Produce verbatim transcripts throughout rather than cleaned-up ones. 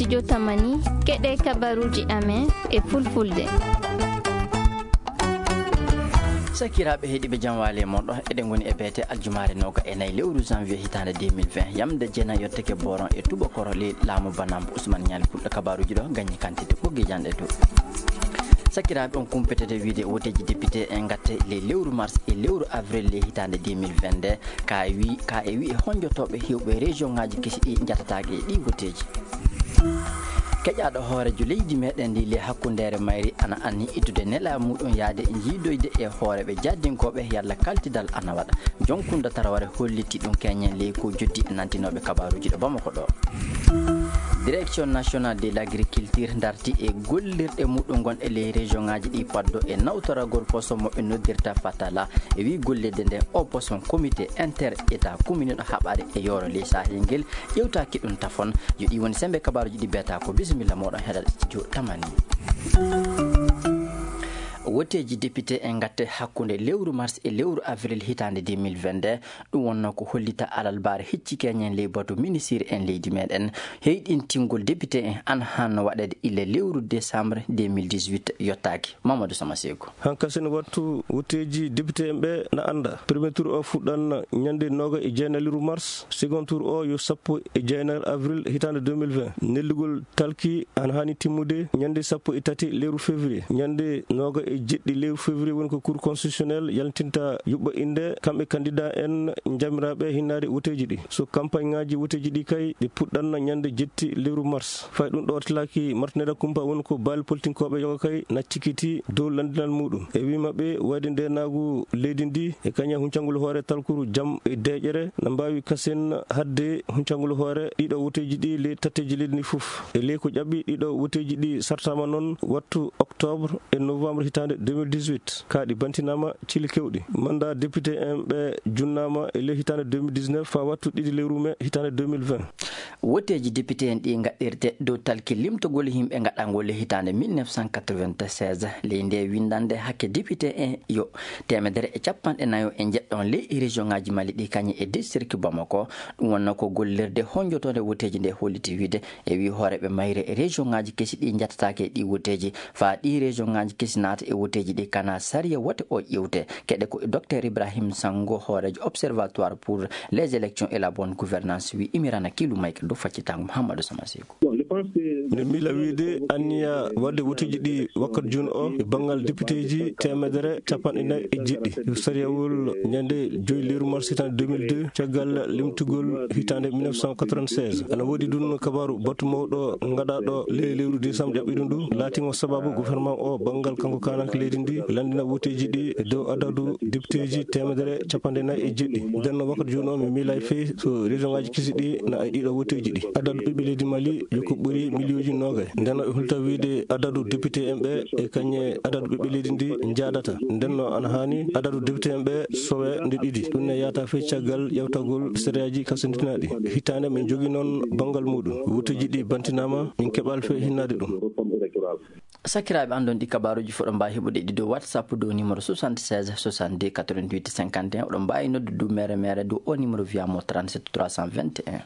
Jotamani, keɗe kabaruuji amen e fulfulde. Sakiraaɓe heɗiiɓe, jam waali e moɗon. Eɗen ngoni e beete aljumaare nooga e nayi lewru janvier hitaande deux mille vingt. Yamde jeenayi yottake boron e tubakoro ley laamu banambo Usman Ñaali Pulɗo. Kabaruuji ɗo gañi kantite ɓoggi janɗe dow. Sakiraaɓe, on kumpetete wiide woteeji député en ngatte ley lewru mars e lewru avril ley hitaande deux mille vingt-deux. Ka e wi-, ka e wi'e honjotooɓe heewɓe région ŋaaji kesi ɗi njatataake e ɗi woteeji. Keƴaaɗo hooreejo leydi meɗen ndi ley hakkundeere mayri ana anni ittude nelaa muɗum yaade jiidoyde e hooreeɓe jaddinkooɓe yalla kaltidal ana waɗa. Jonkunda Taraware holliti ɗum keñen ley ko joddi e nantinooɓe kabaruuji ɗo Bamako ɗo. Direction nationale de l'agriculture darti e gollirɗe muɗum gonɗe ley région ŋaaji ɗi paddo e nawtoragol poson mo ɓe noddirta Fatala. E wi gollirde nde o poson comité inter état communal haɓaade e yooro ley Sahel ngel ƴewtaaki ɗum tafon. Yo ɗi woni sembe kabaruuji ɗi beeta ko bisimilla moɗon heɗal studio tamani. Woteeji député en ngatte hakkunde lewru mars e lewru avril hitaande deux mille vingt-deux. Ɗum wonno ko hollita alalbaare hecci keñen ley batu ministir en leydi meɗen. Heyɗintingol député en an hanno waɗeede ille lewru décembre deux mille dix-huit yottaaki. Mamadou Sama Seeku. Hankasen wattu wotteeji député en ɓe na annda. Premier tour o fuɗɗan ñande nooga e jeenayi lewru mars. Second tour o yo sappo e jeenayi avril hitaande deux mille vingt. Nellugol talki ana haani timmude ñande sappo e tati lewru février. Ñande nooga e jeɗɗi lewru février woni ko Cour constitutionnelle yaltinta yuɓɓa innde kamɓe candidat en jamiraaɓe hinnaade woteeji ɗi. So campagne ŋaaji woteeji ɗi kay ɗi puɗɗanna ñande jetti lewru mars. Fay ɗum ɗo tilaki martinere kumpa woni ko baali politinkooɓe yoga kay na cikkiti dow landinal muɗum. E wi maɓɓe wayde ndenaagu leydi ndi e kaña huncangol hoore talkuru jam e deeƴere na mbaawi kasen hadde huncangol hoore ɗiɗo woteeji ɗi le tatteeji leydi ndi fof. E ley ko ƴaɓɓi ɗiɗo woteeji ɗi sartama noon wattu octobre e novembre hitaande deux mille dix-huit. Ka ɗi bantinaama cili kewɗi. Mandat député en ɓe junnaama e ley hitaande deux mille dix-neuf faa wattu ɗiɗi lewru mai hitaande deux mille vingt. Woteeji député en ɗi ngaɗɗirte dow talki limtogol yimɓe ngaɗangol e hitaande mille neuf cent quatre-vingt-seize. Ley nde windande hakke député en yo teemedere e capanɗe nayo e njeɗɗon ley région ŋaaji Mali ɗi kañum e district Bamako. Ɗum wonno ko gollirde honjotoonde woteeji nde holliti wiide e wi hooreeɓe mayre e région ŋaaji kesi ɗi njatataake e ɗi woteeji. Faa ɗi région ŋaaji kesi naata e woteeji ɗi kana sariya wote o ƴewte. Keɗe ko docteur Ibrahim Sango, hooreejo Observatoire pour les élections et la bonne gouvernance wi imirana kilu mayka dow faccitango Mouhamadou Sama Seeku. Mi miila wiide anniya waɗde woteeji ɗi wakkat jooni o e banngal députéji teemedere capanɗe nayi e jeɗɗi. Sariyawol ñande joyi lewru mars hitaande deux mille deux, caggal limtugol hitaande mille neuf cent quatre-vingt-seize. Ana woodi ɗum kabaaru batu mawɗo ngaɗaaɗo ley lewru décembre ƴaɓɓiɗo ndu, laatiimo sababu gouvernement o banngal kanko kaananke leydi ndi lanndina woteeji ɗi e dow adadu députéji teemedere capanɗe nayi e jeɗɗi. Nden no wakkat jooni o mi miilay fey so région ŋaaji kesi ɗi na e ɗiɗo woteeji ɗi. Adadu ɓiɓɓe leydi Mali yo ko ɓuri miliyonji noogay. Nden no e hulta wiide adadu député en ɓe e kañe adadu ɓiɓɓe leydi ndi njaadata. Nden no ana haani adadu député en ɓe sowe nde ɗiɗi. Ɗum ne yaata fey caggal ƴewtagol sariyaaji kasandinaaɗi. Hitaande min jogi noon banngal muɗum. Woteeji ɗi bantinaama, min keɓal fey hinnaade ɗum. Sakiraaɓe, anndon ɗi kabaaruuji fof ɗo mbaawi heɓude ɗi dow WhatsApp dow numéro soixante-seize soixante-deux quatre-vingt-huit cinquante et un. Oɗon mbaawi noddude dow mere mere dow o numéro via mo trente-sept trois cent vingt et un.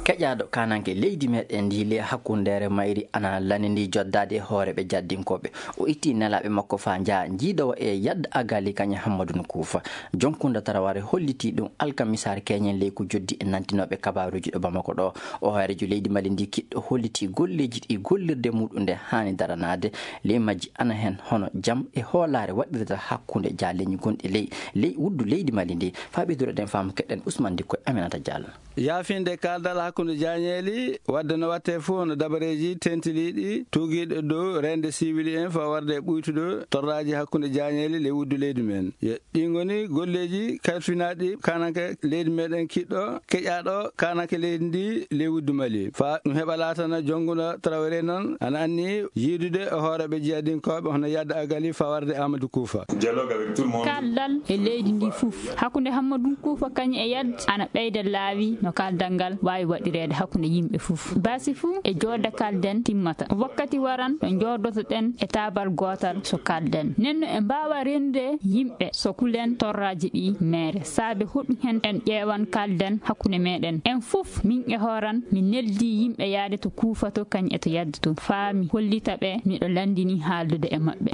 Keƴaaɗo kaananke leydi meɗen ndi le hakkundeere mayri ana lanndi joddaade e hooreeɓe jaddinkooɓe. O itti nelaaɓe makko faa njaha njiidowa e yadda agali kañe Hammadun Kuufa. Jonkunda Taraware hollitii ɗum alkamisaare keñen ley ko joddi e nantinooɓe kabaaruuji ɗo Bamako ɗo. O hooreejo leydi Mali ndi kiɗɗo hollitii golleeji ɗi gollirde muɗum nde haani daranaade. Ley majji ana heen hono jam e hoolaare waɗirta hakkunde jaaleeji gonɗi ley, ley wuddu leydi Mali ndi. Faa ɓeydude ɗen faamu keɗen Ousmane Dikko e Aminata Diallo. Yaafinde kaaldal hakkunde jaañeeli, waɗde no waɗtee fof hono dabareeji teentiniiɗi tuugiiɗo dow reende siwili en faa warde e ɓuytude torraaji hakkunde jaañeeli ley wuddu leydi men. Yo ɗi ngoni golleeji kalfinaaɗi kaananke leydi meɗen kiɗɗo, keƴaaɗo kaananke leydi ndi ley wuddu Mali. Faa ɗum heɓa laatana jonnguɗo Traoré noon, ana anni yiidude e hooreeɓe jiyadinkooɓe hono Yadda Agali faa warde Amadou Kuufa. Dialogue avec tout le monde. Kaaldal e leydi ndi fof, hakkunde Hammadou Kuufa kañum e Yadda, ana ɓeyda laawi no kaaldal ngal waawi waɗirde. Reede hakkunde yimɓe fof. Baasi fuu e joodde kalden timmata. Wakkati waran ɗo njoodotoɗen e taabal gootal so kalden. Nenno e mbaawa rende yimɓe so kulen torraaji ɗi meere. Saabe hoɗum hen en ƴeewan kalden hakkunde meɗen. En fof min e hooran mi neldi yimɓe yaade to kuufato kañ e to yaddato. Faa mi hollita ɓe miɗo landini haaldude e maɓɓe.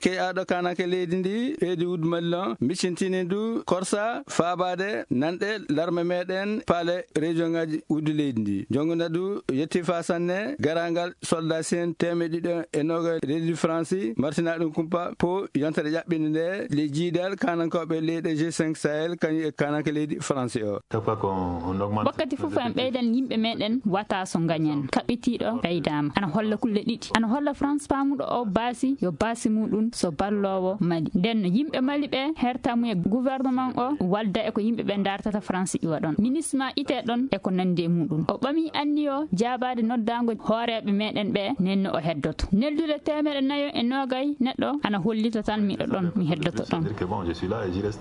Keƴaaɗo kanake leydi ndi, Edi Wudmallan, micintini du korsa faabaade nanɗe larme meɗen paale région ngaji uddu leydi ndi. Jonngo nadu yetti fa sanne garangal soldat sen teemeɗe ɗiɗo e noga leydi Faransi, martina ɗum kumpa po yontere ƴaɓɓinde nde le jiidal kanankoɓe leyɗe G cinq Sahel kañum e kananke leydi Faransi o. Wakkati fof en ɓeydan yimɓe meɗen wata so gañen kaɓɓitiiɗo ɓeydaama. Ana holla kulle ɗiɗi. Ana holla France paamuɗo o baasi yo baasi muɗum so balloowo Mali. Nden no yimɓe Mali ɓe hertamu e gouvernement o walda e ko yimɓe ɓe dartata France iwa ɗon. Ministre ma ite ɗon e ko nandi e muɗum. O ɓami anniyo jaabaade noddaango hooreeɓe meɗen ɓe nenno o heddoto. Neldude teemeɗe nayo e noogay neɗɗo ana hollita tan miɗo ɗon, mi heddoto ɗon.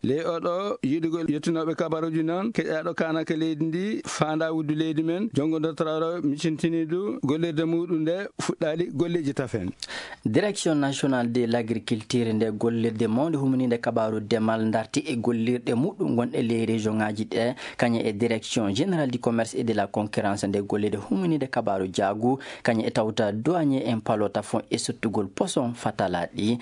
Ley oɗo yiɗugol yettunooɓe kabaruuji noon, keƴaaɗo kaanaka leydi ndi, faandaa wuddu leydi men, jonngo dortoraaɗo micintiniidu gollirde muɗum nde fuɗɗaali golleeji tafen. Direction nationale de l'agriculture nde gollirde mawnde humaniinde kabaaru demal darti e gollirɗe muɗum gonɗe ley région ngaji ɗe, kañum e direction générale du commerce et de la concurrence nde gollirde humaniinde kabaaru jaagu, kañum e tawta douanier en palota fon e sottugol poson fatalaɗi.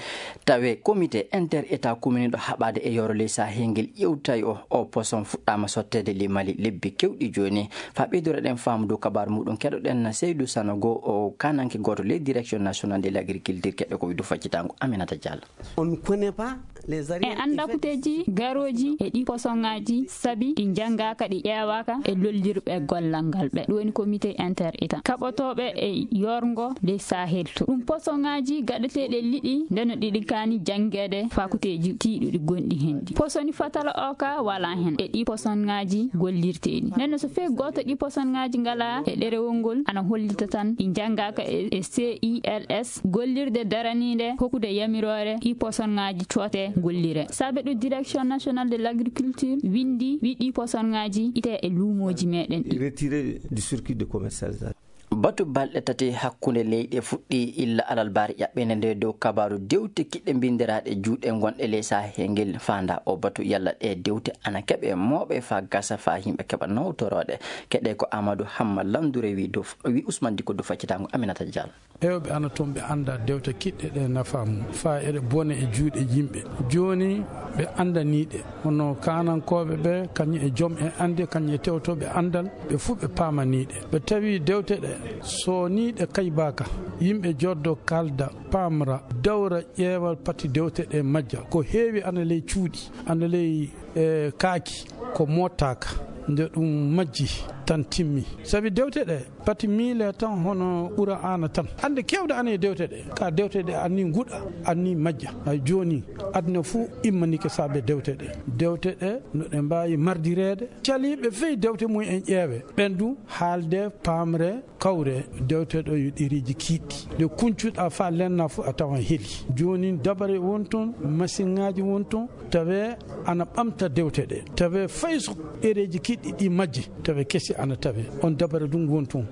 Tawe comité inter état commune ɗo haɓade e yoro ley sahel ngel ƴewtay o, o poson fuɗɗama sottede ley Mali lebbi kewɗi joni. Fa ɓeydore ɗen faamu dow kabaru muɗum keɗoɗen Seydou Sanogo, o kananke goto ley direction nationale de l'agriculture keɗɗo ko widu faccitango Aminata Diallo. On ne connaît pas les en anda kuteeji garooji e ɗi posonŋaaji sabi ɗi njanngaaka ɗi ƴeewaaka e lollirɓe gollal ngal ɓe ɗum woni comité inter état kaɓotooɓe e yorngo ley sahel to ɗum posonŋaaji gaɗeteeɗi e liɗɗi nde no ɗiɗi kaani janngeede fakuteeji tiiɗuɗi gonɗi heen ɗi posoni fatala o ka wala heen e ɗi posonŋaaji gollirteeɗi nden no so fee gooto ɗi posonŋaaji ngala e ɗerewol ngol ana hollita tan ɗi njanngaaka e c i l s gollirde daraniinde hokkude yamiroore ɗi posonŋaaji coote gollire saabe ɗum direction nationale de l'agriculture winndi wi ɗi posonŋaaji ite e luumooji meɗen ɗi retiré du circuit de commercialisation. Batu balɗe tati hakkunde leyɗe fuɗɗi illa alalbaare ƴaɓɓende nde dow kabaru dewte kiɗɗe mbindiraaɗe juuɗe gonɗe ley sahel ngel faanda o batu yalla ɗe dewte ana keɓe mooɓe fa gasa fa yimɓe keɓa nawtoroɗe keɗe ko Amadou Hamma Landure wi dow wi Ousmane Diko dow faccitango Aminata Diallo. Hewɓe ana toon ɓe anndaa dewte kiɗɗe ɗe nafaa mum, faa eɗe bona e juuɗe yimɓe. Jooni ɓe anndanii ɗe, hono kaanankooɓe ɓe, kañum e jom en annde, kañum e tewtooɓe anndal, ɓe fuu ɓe paamanii ɗe. Ɓe tawi dewte ɗe, so nii ɗe kaybaaka, yimɓe joddo kaalda, paamra, dawra ƴeewa pati dewte ɗe majja. Ko heewi ana ley cuuɗi, ana ley e kaaki, ko moottaaka, nde ɗum majji tan timmi. Sabi dewte ɗe, pati miile tan hono Qur'aana tan. Annde keewɗe ana e dewte ɗe. Ka dewte ɗe anni nguɗa, anni majja. Hay jooni, aduna fuu immanike saabe dewte ɗe. Dewte ɗe, no ɗe mbaawi mardireede. Caliiɓe fey dewte mum en ƴeewe. Ɓen du haalde, paamre, kawre, dewte ɗo yo ɗereeji kiiɗɗi. Nde kuncuɗa faa lenna fuu a tawan heli. Jooni dabare won toon, masiŋaaji won toon, tawe ana ɓamta dewte ɗe. Tawe fay so ɗereeji kiiɗɗi ɗi majji, tawe kesi ana tawe. On dabare du won toon.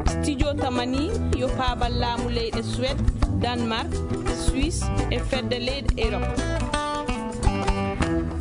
Studio tamani yo paabal laamu leyɗe Suède, Danemark, Suisse e fedde leyɗe Europe.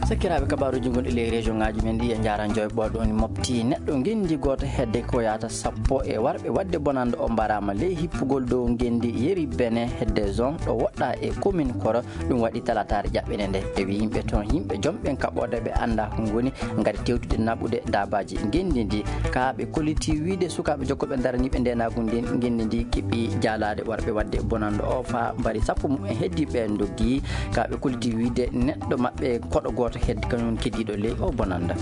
Sakiraaɓe, kabaaruuji gonɗi ley région ngaaji men ɗi e njaaran joy ɓooɗo woni mofti neɗɗo ngenndi gooto hedde ko yaata sappo e warɓe waɗde bonannde o mbaraama ley hippugol dow ngenndi yeri bene hedde zone ɗo woɗɗa e commune Koro. Ɗum waɗi talataare ƴaɓɓene nde e wi yimɓe toon yimɓe jom ɓen kaɓɓoode ɓe annda ko ngoni ngari tewtude naɓude daabaaji ngenndi ndi. Ka ɓe kolliti wiide sukaaɓe jokkooɓe daraniiɓe ndeenaagu ndin ngenndi ndi keɓi jaalaade warɓe waɗde bonannde o faa mbari sappo mum en heddi ɓe ndoggi. Ka ɓe kolliti wiide neɗɗo maɓɓe koɗo gooto heddi kañum keddiiɗo ley o bonannda.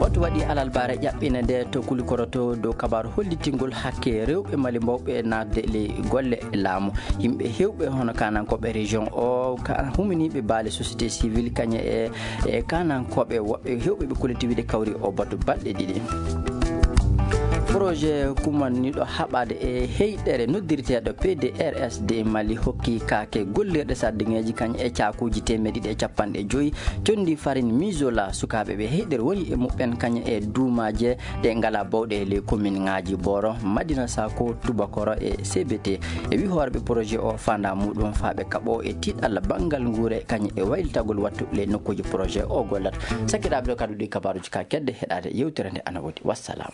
Batu waɗi alalbaare ƴaɓɓine nde to Kulikoro to dow kabaaru hollitingol hakke rewɓe Mali mbawɓe naatde ley golle laamu. Yimɓe hewɓe hono kaanankooɓe région o, ka huminiiɓe baale société civile kañe e e kaanankooɓe woɓɓe hewɓe ɓe kolliti wiide kawri o batu balɗe ɗiɗi. Projet kumanniiɗo haɓaade e heyɗere noddirteeɗo P D R S D Mali hokki kaake gollirɗe sardiŋeeji kañ e caakuuji teemeɗe ɗiɗi e capanɗe joyi conndi farine Mizola. Sukaaɓe ɓe heyɗere woni e muɓɓen kañ e duumaaje ɗe ngalaa bawɗe e ley kominŋaaji Boro, Madina Sako, Tubakoro e C B T. E wii hooreeɓe projet o, faandaa muɗum faa ɓe kaɓoo e tiiɗalla banngal nguure kañ e waylitagol wattu ley nokkuuji projet o gollata. Sakiraaɓe, ɗo kadi ɗi kabaaruuji ka kedde heɗaade yewtere nde ana woodi. Wassalam.